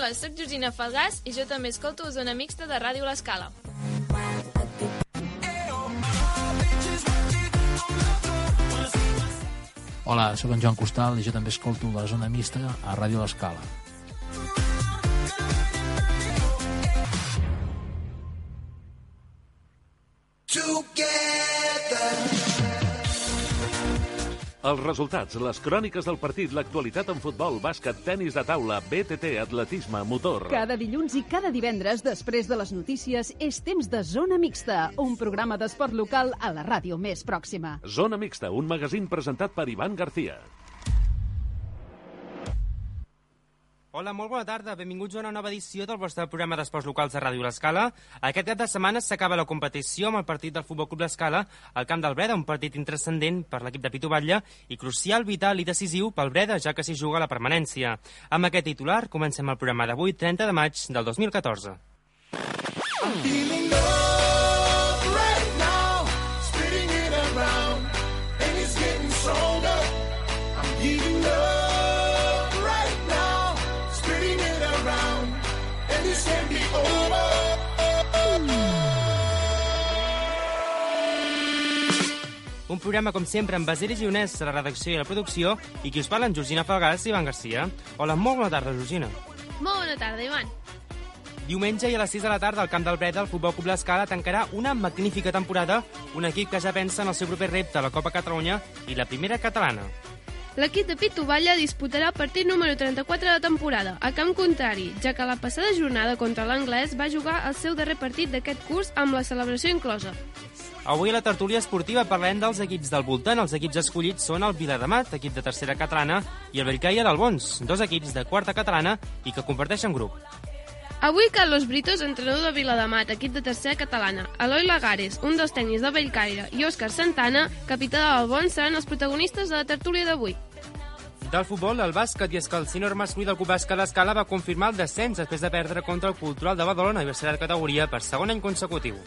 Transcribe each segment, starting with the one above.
Hola, sóc Georgina Falgàs i jo també escolto Zona Mixta de Ràdio L'Escala. Hola, sóc en Joan Costal i jo també escolto la Zona Mixta a Ràdio L'Escala. Els resultats, les cròniques del partit, l'actualitat en futbol, bàsquet, tenis de taula, BTT, atletisme, motor. Cada dilluns i cada divendres, després de les notícies, és temps de Zona Mixta, un programa d'esport local a la ràdio més pròxima. Zona Mixta, un magazín presentat per Ivan García. Hola, molt bona tarda. Benvinguts a una nova edició del vostre programa d'esports locals de Ràdio L'Escala. Aquest cap de setmana s'acaba la competició amb el partit del Futbol Club L'Escala al Camp del Breda, un partit intranscendent per l'equip de Pitu Batlle i crucial, vital i decisiu pel Breda, ja que s'hi juga la permanència. Amb aquest titular comencem el programa d'avui, 30 de maig del 2014. Un programa, com sempre, amb Basili Gionès a la redacció i la producció i qui us parla en Georgina Falgàs i Ivan García. Hola, molt bona tarda, Georgina. Molt bona tarda, Ivan. Diumenge i a les 6 de la tarda al Camp del Breda el Futbol Club L'Escala tancarà una magnífica temporada, un equip que ja pensa en el seu proper repte a la Copa Catalunya i la primera catalana. L'equip de Pitu Batlle disputarà el partit número 34 de la temporada, a camp contrari, ja que la passada jornada contra l'Anglès va jugar el seu darrer partit d'aquest curs amb la celebració inclosa. Avui a la tertúlia esportiva parlem dels equips del voltant. Els equips escollits són el Viladamat, equip de tercera catalana, i el Bellcaire d'Albons, dos equips de quarta catalana i que comparteixen grup. Avui Carlos Britos, entrenador de Viladamat, equip de tercera catalana, Eloi Lagares, un dels tècnics del Bellcaire, i Òscar Santana, capità de l'Albons, seran els protagonistes de la tertúlia d'avui. Del futbol, el bàsquet, i és que el sènior masculí del Club Bàsquet L'Escala va confirmar el descens després de perdre contra el Cultural de Badalona i va ser de categoria per segon any consecutiu.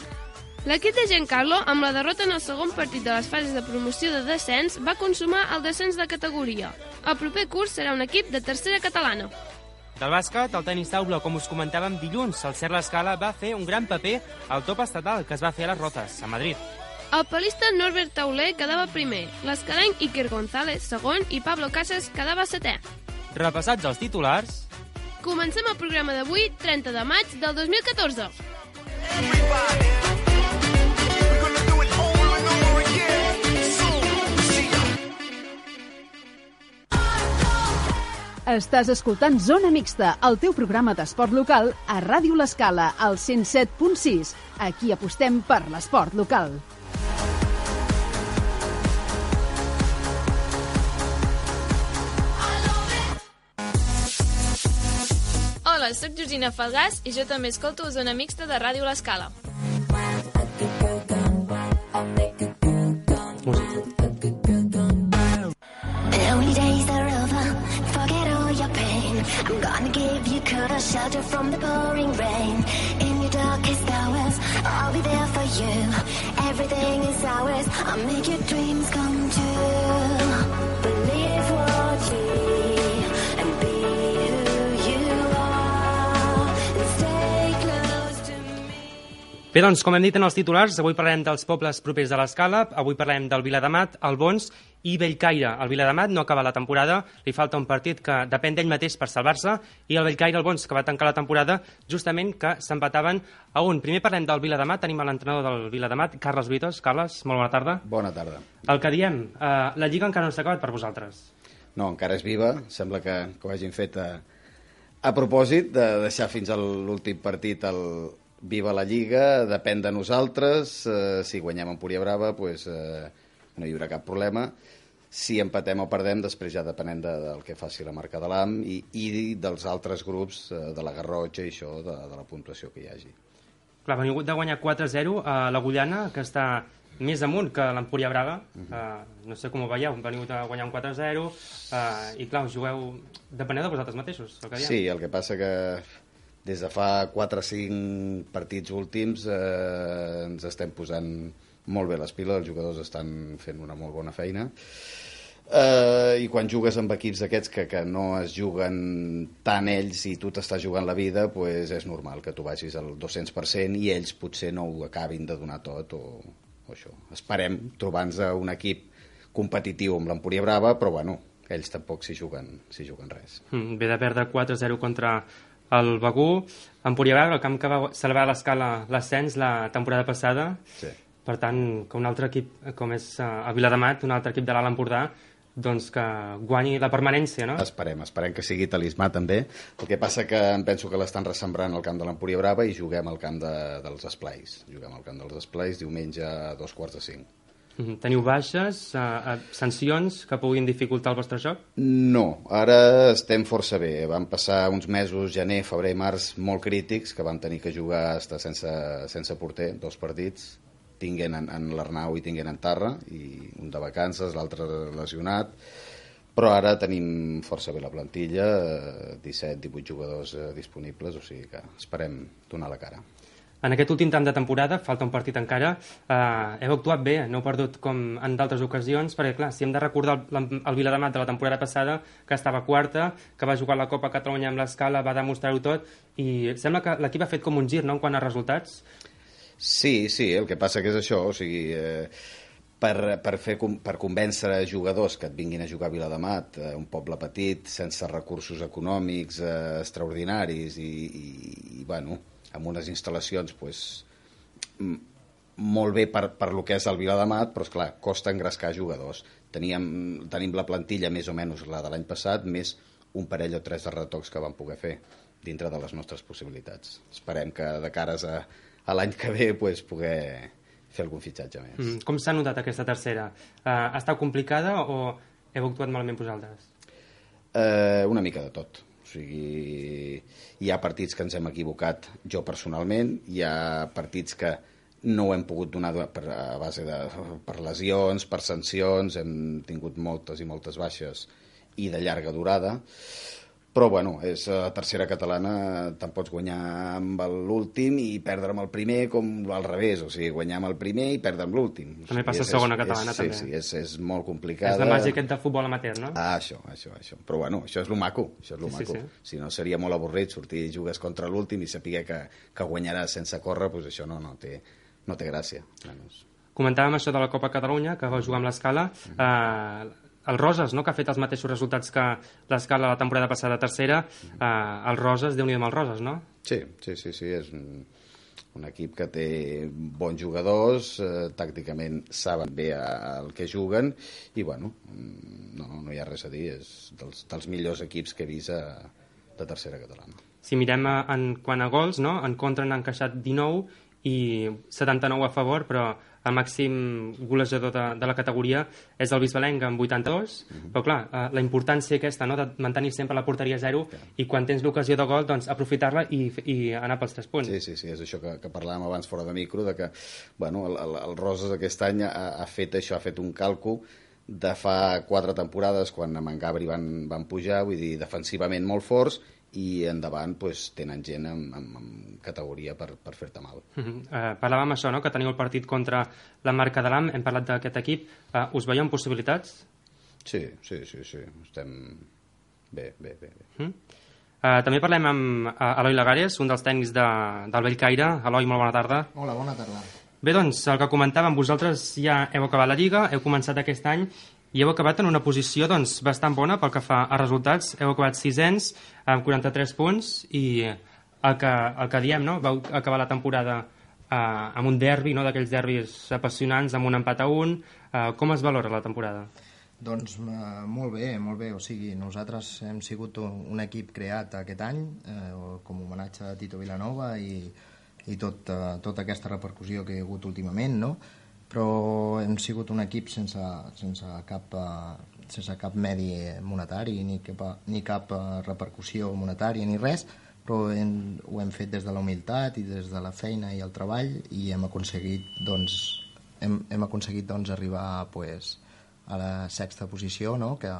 L'equip de Giancarlo, amb la derrota en el segon partit de les fases de promoció de descens, va consumar el descens de categoria. El proper curs serà un equip de tercera catalana. Del bàsquet, el tenis taula, com us comentàvem dilluns, el CER L'Escala va fer un gran paper al top estatal que es va fer a les Rozas, a Madrid. El palista Norbert Tauler quedava primer, l'escalenc Iker González segon i Pablo Casas quedava setè. Repassats els titulars... Comencem el programa d'avui, 30 de maig del 2014. Estàs escoltant Zona Mixta, el teu programa d'esport local a Ràdio L'Escala, al 107.6. Aquí apostem per l'esport local. Hola, sóc Georgina Falgàs i jo també escolto Zona Mixta de Ràdio L'Escala. I'm gonna give you cover, shelter from the pouring rain. In your darkest hours, I'll be there for you. Everything is ours, I'll make your dreams come true. Believe what you need and be who you are and stay close to me. Bé, doncs, com hem dit en els titulars, avui parlarem dels pobles propers de l'Escala, avui parlarem del Viladamat, Albons i Bellcaire. El Viladamat no acaba la temporada, li falta un partit que depèn d'ell mateix per salvar-se, i el Bellcaire Albons, que va tancar la temporada justament que s'empataven a un. Primer parlem del Viladamat, tenim l'entrenador del Viladamat, Carles Britos. Carles, molt bona tarda. Bona tarda. El que diem, la Lliga encara no s'ha acabat per vosaltres. No, encara és viva, sembla que ho hagin fet a propòsit de deixar fins a l'últim partit viva la Lliga, depèn de nosaltres, si guanyem Empúria Brava, doncs no hi haurà cap problema. Si empatem o perdem, després ja depenent del que faci la marca de l'AM i dels altres grups de la Garrotxa i això, de la puntuació que hi hagi. Clar, veniu de guanyar 4-0 a l'Agullana, que està més amunt que l'Empúria Brava. No sé com ho veieu, veniu de guanyar un 4-0 i clar, us jugueu... Depeneu de vosaltres mateixos, el que diem. Sí, el que passa que des de fa 4 o 5 partits últims ens estem posant molt bé les piles, els jugadors estan fent una molt bona feina. I quan jugues amb equips d'aquests que no es juguen tant ells i tu t'estàs jugant la vida, pues és normal que tu vagis al 200% i ells potser no ho acabin de donar tot o això. Esperem trobar-nos un equip competitiu amb l'Empúria Brava, però bueno, ells tampoc s'hi juguen res. Ve de perdre 4-0 contra el Begur. Empúria Brava, el camp que va salvar a l'Escala l'ascens la temporada passada. Sí. Per tant, que un altre equip com és a Viladamat, un altre equip de l'Alt Empordà, doncs que guanyi la permanència, no? Esperem que sigui talismà també. El que passa que em penso que l'estan ressembrant al camp de l'Empúria Brava i juguem al camp dels Esplais. Juguem al camp dels Esplais diumenge a 4:45. Teniu baixes, sancions que puguin dificultar el vostre joc? No, ara estem força bé. Vam passar uns mesos, gener, febrer i març, molt crítics, que vam tenir que jugar estar sense porter, 2 partits, tinguent en l'Arnau i tinguent en Tarra, i un de vacances, l'altre lesionat, però ara tenim força bé la plantilla, 17-18 jugadors disponibles, o sigui que esperem donar la cara. En aquest últim tram de temporada, falta un partit encara, heu actuat bé, no heu perdut com en d'altres ocasions, perquè clar, si hem de recordar el Viladamat de la temporada passada, que estava quarta, que va jugar la Copa Catalunya amb l'Escala, va demostrar-ho tot, i sembla que l'equip ha fet com un gir, no?, en quant a resultats. Sí, el que passa que és això, o sigui, per convèncer jugadors que et vinguin a jugar a Viladamat, un poble petit, sense recursos econòmics extraordinaris i bueno, amb unes instal·lacions pues, molt bé per lo que és el Viladamat, però esclar, costa engrescar jugadors. Tenim la plantilla més o menys la de l'any passat, més un parell o 3 de retocs que vam poder fer dintre de les nostres possibilitats. Esperem que de cares a l'any que ve pues, poder fer algun fitxatge més. Com s'ha notat aquesta tercera? Ha estat complicada o heu actuat malament vosaltres? Una mica de tot. O sigui, hi ha partits que ens hem equivocat jo personalment, hi ha partits que no ho hem pogut donar a base per lesions, per sancions, hem tingut moltes i moltes baixes i de llarga durada. Però, bueno, és la tercera catalana, te'n pots guanyar amb l'últim i perdre amb el primer com al revés, o sigui, guanyar amb el primer i perdre amb l'últim. També passa a segona catalana, també. Sí, és molt complicada. És la màgia aquest del futbol amateur, no? Això. Però, bueno, això és lo maco, Sí. Si no, seria molt avorrit sortir i jugues contra l'últim i saber que guanyaràs sense córrer, doncs això no té gràcia. Comentàvem això de la Copa Catalunya, que vau jugar amb l'Escala. El Roses, no?, que ha fet els mateixos resultats que l'Escala la temporada passada tercera, el Roses, Déu-n'hi-do amb el Roses, no? Sí, és un equip que té bons jugadors, tàcticament saben bé el que juguen i, bueno, no hi ha res a dir, és dels millors equips que he vist de tercera catalana. Si mirem en quant a gols, no?, en contra n'han encaixat 19 i 79 a favor, però el màxim golejador de la categoria és el Bisbalenc amb 82, però clar, la importància aquesta, no?, de mantenir sempre la porteria a 0 i quan tens l'ocasió de gol, doncs aprofitar-la i anar pels 3 punts. Sí, és això que parlàvem abans fora de micro, de que bueno, el Roses aquest any ha fet això, ha fet un càlcul de fa 4 temporades quan amb en Gabri van pujar, vull dir, defensivament molt forts, i endavant pues, tenen gent amb categoria per fer-te mal. Parlàvem això, no?, que teniu el partit contra la Marca de l'Am, hem parlat d'aquest equip. Us veieu en possibilitats? Sí, estem bé. També parlem amb Eloi Lagares, un dels tècnics del Bellcaire. Eloi, molt bona tarda. Hola, bona tarda. Bé, doncs, el que comentàvem, vosaltres ja heu acabat la Lliga, heu començat aquest any i heu acabat en una posició doncs, bastant bona pel que fa a resultats. Heu acabat 6ens amb 43 punts i el que diem, no?, vau acabar la temporada amb un derbi, no?, d'aquells derbis apassionants, amb un empat a 1. Com es valora la temporada? Doncs molt bé. O sigui, nosaltres hem sigut un equip creat aquest any com a homenatge a Tito Vilanova i tota aquesta repercussió que hi ha hagut últimament, no?, però hem sigut un equip sense cap medi monetari ni cap repercussió monetària ni res, però ho hem fet des de la humilitat i des de la feina i el treball i hem aconseguit arribar pues, a la 6ª posició, no?, que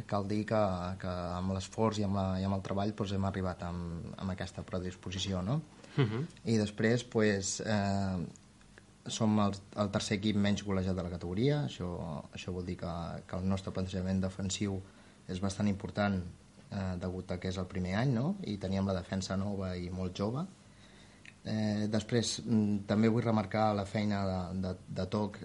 cal dir que amb l'esforç i amb el treball pues, hem arribat amb aquesta predisposició, no? I després pues, som el tercer equip menys golejat de la categoria. Això vol dir que el nostre plantejament defensiu és bastant important degut a que és el primer any, no? I teníem la defensa nova i molt jove. Després també vull remarcar la feina de toc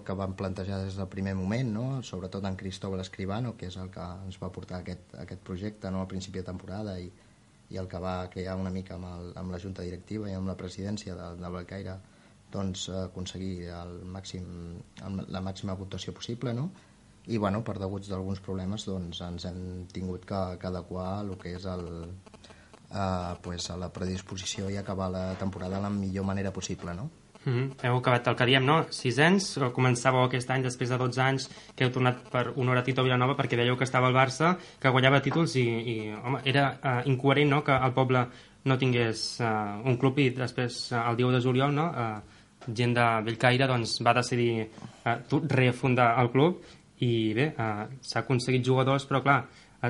que vam plantejar des del primer moment, no? Sobretot en Cristóbal Escribano, que és el que ens va portar aquest projecte, no? Al principi de temporada i el que va crear una mica amb la junta directiva i amb la presidència del Bellcaire, doncs aconseguir la màxima puntuació possible, no? I bueno, per deguts d'alguns problemes doncs ens hem tingut que adequar el que és a la predisposició i acabar la temporada de la millor manera possible, no? Heu acabat el que diem, no? 6ens, començàveu aquest any després de 12 anys que heu tornat per honor a Tito Vilanova perquè veieu que estava al Barça, que guanyava títols i home, era incoherent, no?, que el poble no tingués un club i després el 10 de juliol, no?, gent de Bellcaire doncs, va decidir refundar el club i bé, s'ha aconseguit jugadors, però clar,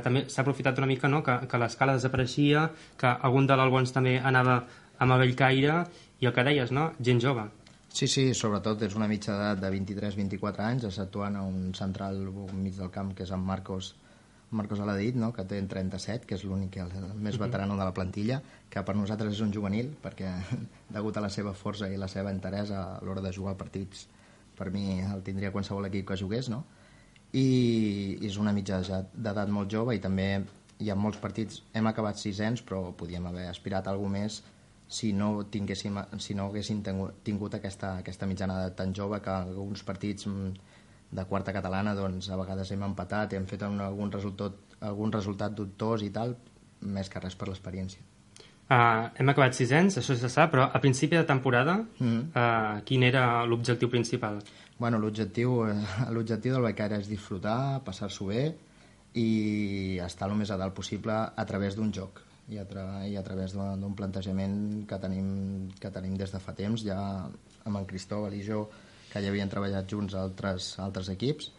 també s'ha aprofitat una mica, no?, que l'Escala desapareixia, que algun de l'Albons també anava amb el Bellcaire i el que deies, no?, gent jove. Sí, sobretot és una mitja edat de 23-24 anys, exceptuant a un central mig del camp que és en Marcos Aladit, no?, que té 37, que és l'únic, el més veterano de la plantilla, que per nosaltres és un juvenil, perquè degut a la seva força i la seva interesa a l'hora de jugar partits, per mi el tindria qualsevol equip que jugués, no? I és una mitja d'edat molt jove i també hi ha molts partits, hem acabat 6ens, però podíem haver aspirat a alguna més si no haguéssim tingut aquesta mitjana d'edat tan jove, que alguns partits de quarta catalana doncs, a vegades hem empatat i hem fet algun resultat dubtós i tal, més que res per l'experiència. Hem acabat 6ens, això se sap, però a principi de temporada quin era l'objectiu principal? Bueno, l'objectiu del Bellcaire és disfrutar, passar-s'ho bé i estar el més a dalt possible a través d'un joc i a través d'un plantejament que tenim des de fa temps, ja amb en Cristóbal i jo, que ja havien treballat junts altres equips,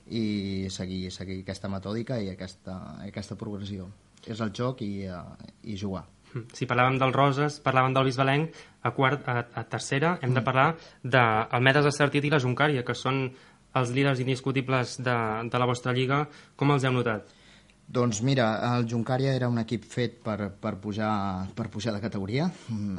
i seguir aquesta metòdica i aquesta progressió. És el joc i jugar. Si parlàvem del Roses, parlàvem del Bisbalenc, a tercera hem de parlar del Medes Estartit i la Joncària, que són els líders indiscutibles de la vostra lliga. Com els heu notat? Doncs mira, el Joncària era un equip fet per pujar de categoria,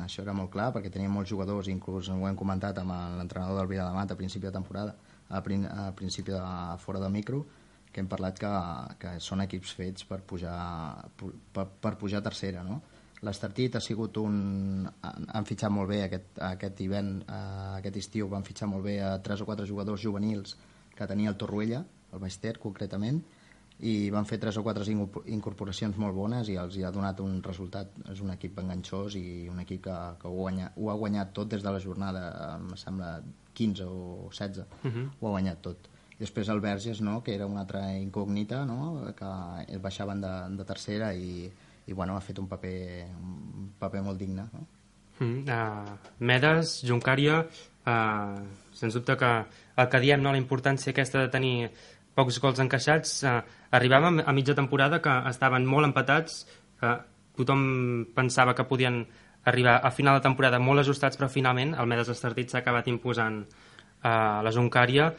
això era molt clar, perquè tenia molts jugadors, inclús ho hem comentat amb l'entrenador del Viladamat a principi de temporada, a principi de fora de micro, que hem parlat que són equips fets per pujar a tercera, no? L'Estartit ha sigut han fitxat molt bé aquest estiu, van fitxar molt bé a 3 o 4 jugadors juvenils que tenia el Torroella, el Baix Ter concretament, i van fer 3 o 4 incorporacions molt bones i els hi ha donat un resultat. És un equip enganxós i un equip que ho ha guanyat tot des de la jornada, em sembla 15 o 16, ho ha guanyat tot. I després el Verges, no?, que era una altra incògnita, no?, que baixaven de tercera i bueno, ha fet un paper molt digne, no? Medes, Joncària, sens dubte que el que diem, no?, la importància aquesta de tenir pocs gols encaixats, arribàvem a mitja temporada que estaven molt empatats, tothom pensava que podien arribar a final de temporada molt ajustats, però finalment el Medes Estartit s'ha acabat imposant a la Joncària.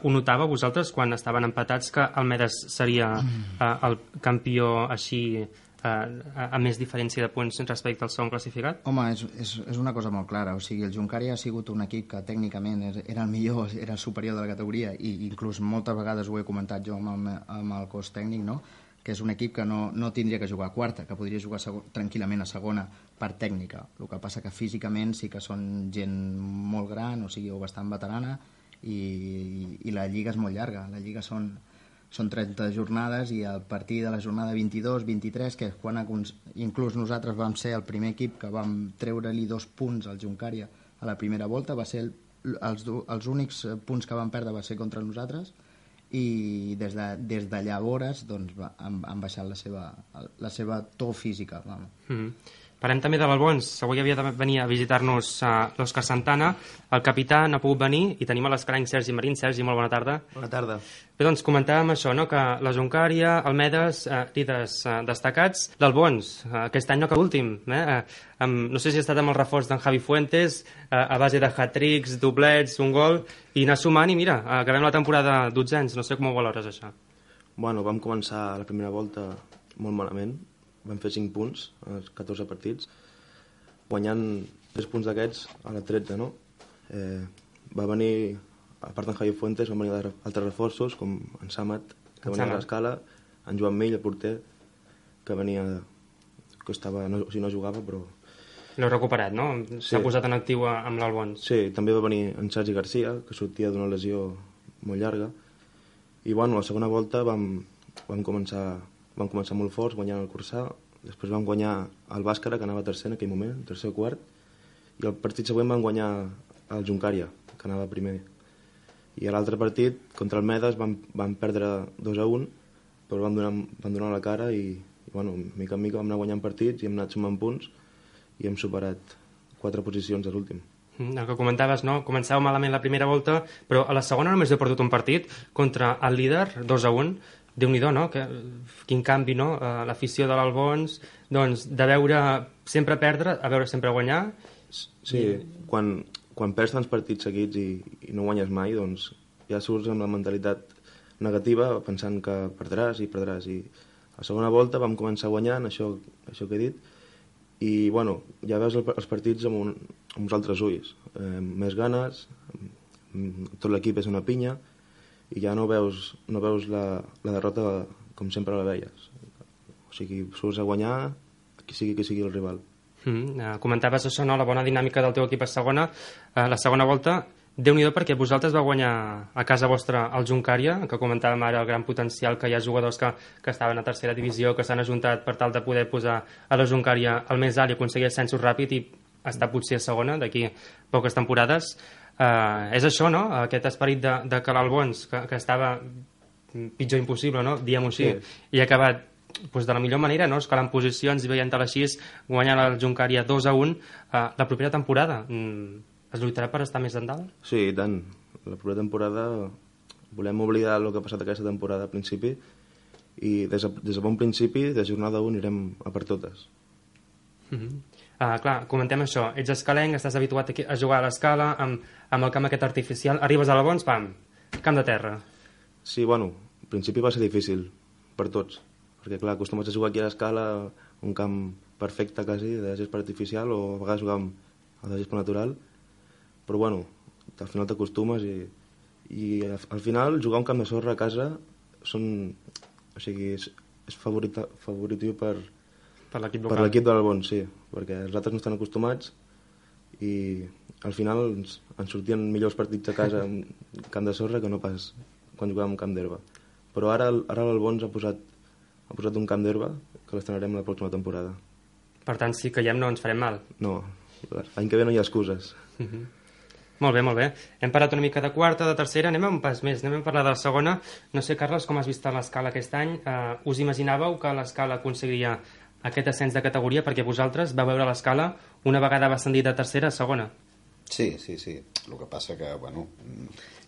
Ho notava vosaltres quan estaven empatats que el Medes seria el campió així a més diferència de punts respecte al segon classificat? Home, és una cosa molt clara. O sigui, el Joncària ha sigut un equip que tècnicament era el millor, era el superior de la categoria, i inclús moltes vegades ho he comentat jo amb el cos tècnic, no?, que és un equip que no tindria que jugar a quarta, que podria jugar tranquil·lament a segona per tècnica. El que passa que físicament sí que són gent molt gran, o sigui, o bastant veterana, i la lliga és molt llarga. La lliga són 30 jornades i a partir de la jornada 22-23, que és quan inclús nosaltres vam ser el primer equip que vam treure-li 2 punts al Joncària a la primera volta, va ser els únics punts que van perdre va ser contra nosaltres, i des de llavors doncs, han baixat la seva to física. Parlem també de l'Albons. Avui havia de venir a visitar-nos l'Òscar Santana. El capità no ha pogut venir i tenim a l'escalenc Sergi Marín. Sergi, molt bona tarda. Bona tarda. Bé, doncs comentàvem això, no? Que la Joncaria, el Medes, líders destacats. L'Albons, aquest any no que últim. No sé si ha estat amb el reforç d'en Javi Fuentes, a base de hat-tricks, doblets, un gol, i anar sumant i mira, acabem la temporada dotzens. No sé com ho valores, això. Bueno, vam començar la primera volta molt malament. Vam fer 5 punts als 14 partits, guanyant 3 punts d'aquests a la 13, no? Va venir, a part d'en Javi Fuentes, van venir altres reforços, com en Samat, que venia a l'escala, en Joan Mill, el porter, que venia, que estava, no jugava, però... L'heu recuperat, no? S'ha posat en actiu amb l'Albons. Sí, també va venir en Sergi Garcia, que sortia d'una lesió molt llarga, i bueno, la segona volta vam començar molt forts, guanyant el Cursà, després vam guanyar el Bàscara, que anava tercer en aquell moment, tercer o quart, i el partit següent vam guanyar el Joncaria, que anava primer. I a l'altre partit, contra el Medes, vam perdre 2-1, però vam donar la cara i bueno, mica en mica vam anar guanyant partits i hem anat sumant punts i hem superat 4 posicions a l'últim. El que comentaves, no? Començàveu malament la primera volta, però a la segona només heu perdut un partit contra el líder, 2-1. Déu-n'hi-do, no? Quin canvi, no? L'afició de l'Albons, doncs, de veure sempre perdre a veure sempre guanyar. Sí, quan perds tants partits seguits i no guanyes mai, doncs ja surts amb la mentalitat negativa pensant que perdràs. I a la segona volta vam començar guanyant, això que he dit, i bueno, ja veus els partits amb uns altres ulls, més ganes, tot l'equip és una pinya, i ja no veus la derrota com sempre la veies. O sigui, surts a guanyar qui sigui el rival. Comentaves això, no? La bona dinàmica del teu equip a segona. La segona volta, Déu-n'hi-do, perquè vosaltres vau guanyar a casa vostra el Joncaria, que comentàvem ara el gran potencial, que hi ha jugadors que estaven a tercera divisió, que s'han ajuntat per tal de poder posar a la Joncaria al més alt i aconseguir ascensos ràpid i estar potser a segona d'aquí poques temporades. És això, no? Aquest esperit de que l'Albons, que estava pitjor impossible, no? Diguem-ho així, i ha acabat de la millor manera, no? Escalant posicions i veient-te així, guanyant el Joncaria 2-1. La propera temporada es lluitarà per estar més endalt? Sí, i tant. La propera temporada volem oblidar el que ha passat aquesta temporada al principi i des de bon principi, de jornada 1, anirem a per totes. Clar, comentem això. Ets escalenc, estàs habituat a jugar a l'escala, amb el camp aquest artificial. Arribes a l'Albons, pam, camp de terra. Sí, bueno, al principi va ser difícil per tots, perquè clar, acostumats a jugar aquí a l'escala, un camp perfecte quasi, de gespa artificial, o a vegades jugàvem a la gespa natural, però bueno, al final t'acostumes i al final jugar un camp de sorra a casa és favoritiu per l'equip local. Per l'equip de l'Albons, sí, perquè els altres no estan acostumats i al final ens sortien millors partits a casa en camp de sorra que no pas quan jugàvem en camp d'herba. Però ara l'Albons ha posat un camp d'herba que l'estrenarem la pròxima temporada. Per tant, si caiem no ens farem mal. No, l'any que ve no hi ha excuses. Molt bé, molt bé. Hem parlat una mica de quarta, de tercera, anem a un pas més, anem a parlar de la segona. No sé, Carles, com has vist l'escala aquest any? Us imaginàveu que l'escala aconseguiria aquest ascens de categoria, perquè vosaltres vau veure l'escala una vegada va ascendir de tercera a segona? Sí. El que passa que, bueno,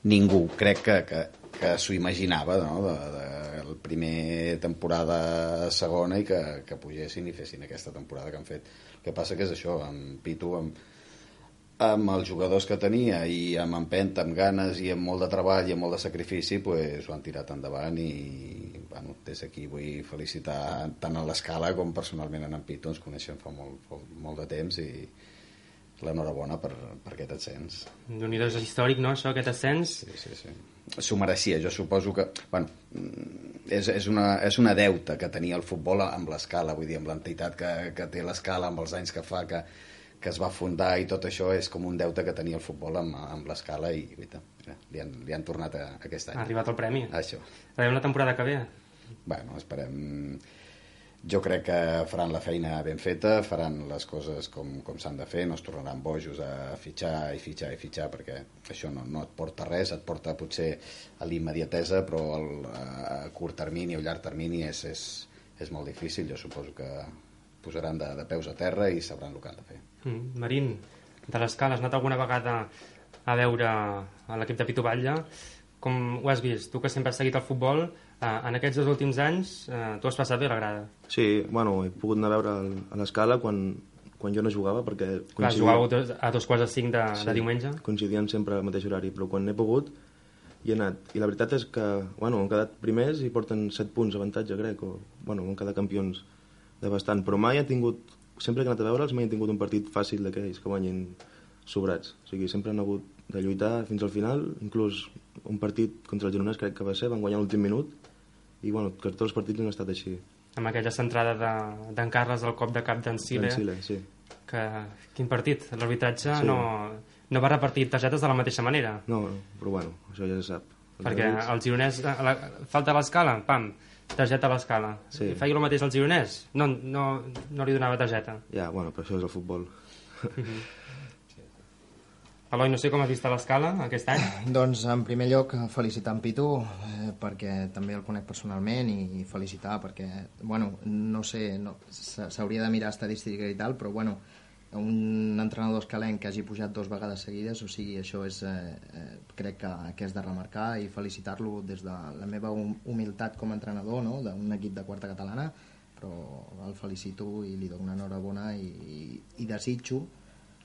ningú crec que s'ho imaginava, no?, de la primera temporada a segona i que pugessin i fessin aquesta temporada que han fet. El que passa que és això, amb Pitu, amb els jugadors que tenia i amb empenta, amb ganes i amb molt de treball i amb molt de sacrifici, pues, ho han tirat endavant i bueno, des d'aquí vull felicitar tant a l'escala com personalment en Pitu. Ens coneixem fa molt de temps i l'enhorabona per aquest ascens. Déu-n'hi-do, és històric, no, això, aquest ascens? Sí. S'ho mereixia, jo suposo que... Bueno, és una deuta que tenia el futbol amb l'escala, vull dir, amb l'entitat que té l'escala, amb els anys que fa que es va fundar i tot això és com un deute que tenia el futbol amb l'escala i li han tornat aquest any. Ha arribat el premi. Això. Veiem la temporada que ve. Bueno, esperem... Jo crec que faran la feina ben feta, faran les coses com s'han de fer, no es tornaran bojos a fitxar, perquè això no et porta res, et porta potser a l'immediatesa, però a curt termini o llarg termini és molt difícil. Jo suposo que posaran de peus a terra i sabran el que han de fer. Marín, de l'Escala, has anat alguna vegada a veure a l'equip de Pitu Batlle? Com ho has vist? Tu que sempre has seguit el futbol, en aquests 2 últims anys tu has passat bé la grada. Sí, bueno, he pogut anar a veure a l'Escala quan jo no jugava, perquè... Clar, jugàveu a 2:45 de diumenge. Coincidien sempre al mateix horari, però quan he pogut hi he anat. I la veritat és que, bueno, han quedat primers i porten 7 punts d'avantatge, crec, o, bueno, han quedat campions de bastant, però mai han tingut, sempre que he anat a veure'ls, mai han tingut un partit fàcil d'aquells que guanyin sobrats. O sigui, sempre han hagut de lluitar fins al final, inclús un partit contra el Gironès crec que va ser, van guanyar l'últim minut, i bueno, que tots els partits han estat així. Amb aquella centrada d'en Carles al cop de cap d'en Sile. Sí. Quin partit? L'arbitratge no va repartir targetes de la mateixa manera. No, però bueno, això ja se sap. Perquè el Gironès, falta l'Escala, pam, targeta a l'Escala. Sí. Feia el mateix al Gironès? No li donava targeta. Ja, bueno, però això és el futbol. Eloi, no sé com has vist a l'Escala aquest any. Doncs en primer lloc felicitar en Pitu perquè també el conec personalment i felicitar perquè, bueno, no sé, s'hauria de mirar estadística i tal, però bueno, un entrenador escalenc que hagi pujat 2 vegades seguides, o sigui, això és, crec que és de remarcar i felicitar-lo des de la meva humilitat com a entrenador, no?, d'un equip de quarta catalana, però el felicito i li dono una enhorabona i desitjo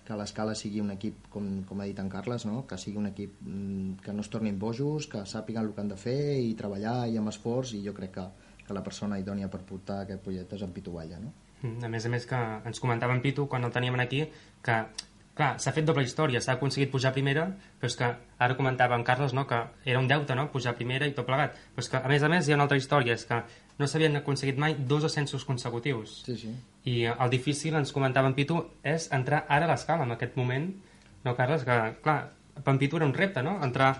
que l'Escala sigui un equip, com ha dit en Carles, no?, que sigui un equip que no es tornin bojos, que sàpiguen el que han de fer i treballar i amb esforç, i jo crec que la persona idònia per portar aquest projecte és en Pitu Batlle, no? A més que ens comentava en Pitu quan el teníem aquí que, clar, s'ha fet doble història, s'ha aconseguit pujar a primera, però és que ara comentava en Carles, no?, que era un deute, no?, pujar a primera i tot plegat, però és que a més hi ha una altra història, és que no s'havien aconseguit mai 2 ascensos consecutius. Sí. I el difícil, ens comentava en Pitu, és entrar ara a l'Escala en aquest moment, no, Carles? Que, clar, per en Pitu era un repte, no? Entrar,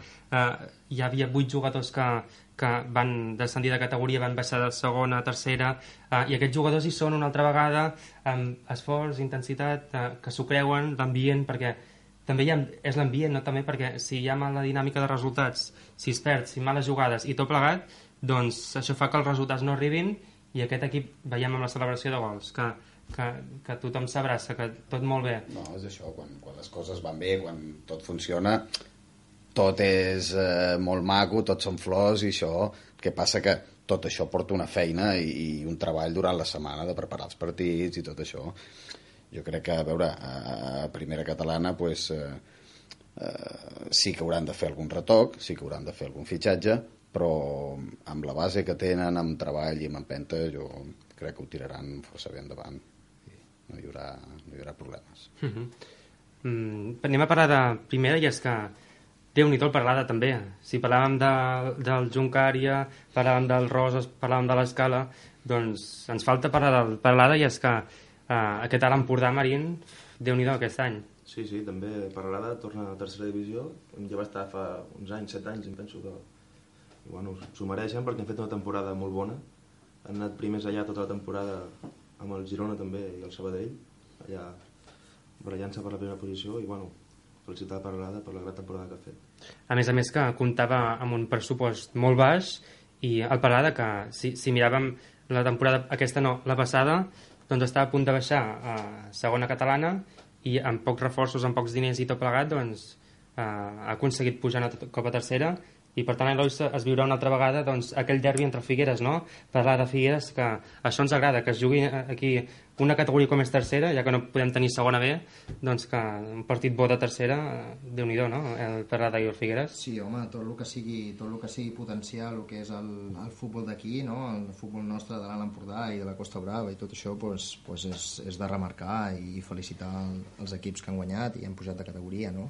hi havia 8 jugadors que van descendir de categoria, van baixar de segona a tercera, i aquests jugadors hi són una altra vegada, amb esforç, intensitat, que s'ho creuen, l'ambient, perquè també és l'ambient, no? També perquè si hi ha mala dinàmica de resultats, si es perd, si males jugades i tot plegat, doncs això fa que els resultats no arribin, i aquest equip, veiem amb la celebració de gols, que tothom s'abraça, que tot molt bé. No, és això, quan les coses van bé, quan tot funciona, tot és molt maco, tot són flors i això, que passa que tot això porta una feina i un treball durant la setmana de preparar els partits i tot això. Jo crec que, a veure, a primera catalana pues, sí que hauran de fer algun retoc, sí que hauran de fer algun fitxatge, però amb la base que tenen, amb treball i amb empenta, jo crec que ho tiraran força bé endavant. No hi haurà problemes. Anem a parlar de primera, i és que Déu-n'hi-do el Peralada també. Si parlàvem del Juncària, parlàvem del Roses, parlàvem de l'Escala, doncs ens falta parlar del Peralada, i és que aquest Alt Empordà, Marín, Déu-n'hi-do aquest any. Sí, també Peralada torna a la tercera divisió, ja va estar fa uns anys, 7 anys, em penso que bueno, s'ho mereixen perquè han fet una temporada molt bona, han anat primers allà tota la temporada amb el Girona també i el Sabadell, allà barallant-se per la primera posició, i bueno, felicitar a Peralada per la gran temporada que ha fet. A més que comptava amb un pressupost molt baix, i el Peralada, que si miràvem la temporada aquesta, no, la passada, doncs estava a punt de baixar a segona catalana, i amb pocs reforços, amb pocs diners i tot plegat, doncs ha aconseguit pujar una cop a tercera, i per tant Eloi es viurà una altra vegada doncs, aquell derbi entre Figueres, no? Parlar de Figueres, que això ens agrada, que es jugui aquí una categoria com és tercera, ja que no podem tenir segona B, doncs que un partit bo de tercera, Déu-n'hi-do, no? El Peralada i el Figueres. Sí, home, tot el que sigui potenciar el que és el futbol d'aquí, no? El futbol nostre de l'Alt Empordà i de la Costa Brava i tot això, pues és de remarcar i felicitar els equips que han guanyat i han pujat de categoria, no?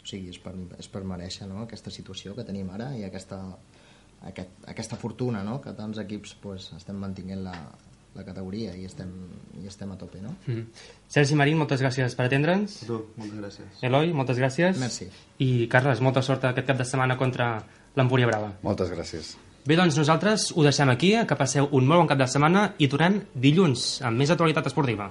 O sigui, és per mereixer, no?, aquesta situació que tenim ara i aquesta fortuna, no?, que tants equips pues, estem mantinguent la categoria i estem a tope, no? Sergi Marín, moltes gràcies per atendre'ns. A tu, moltes gràcies. Eloi, moltes gràcies. Merci. I Carles, molta sort aquest cap de setmana contra l'Empúria Brava. Moltes gràcies. Bé, doncs nosaltres ho deixem aquí, que passeu un molt bon cap de setmana i tornem dilluns amb més actualitat esportiva.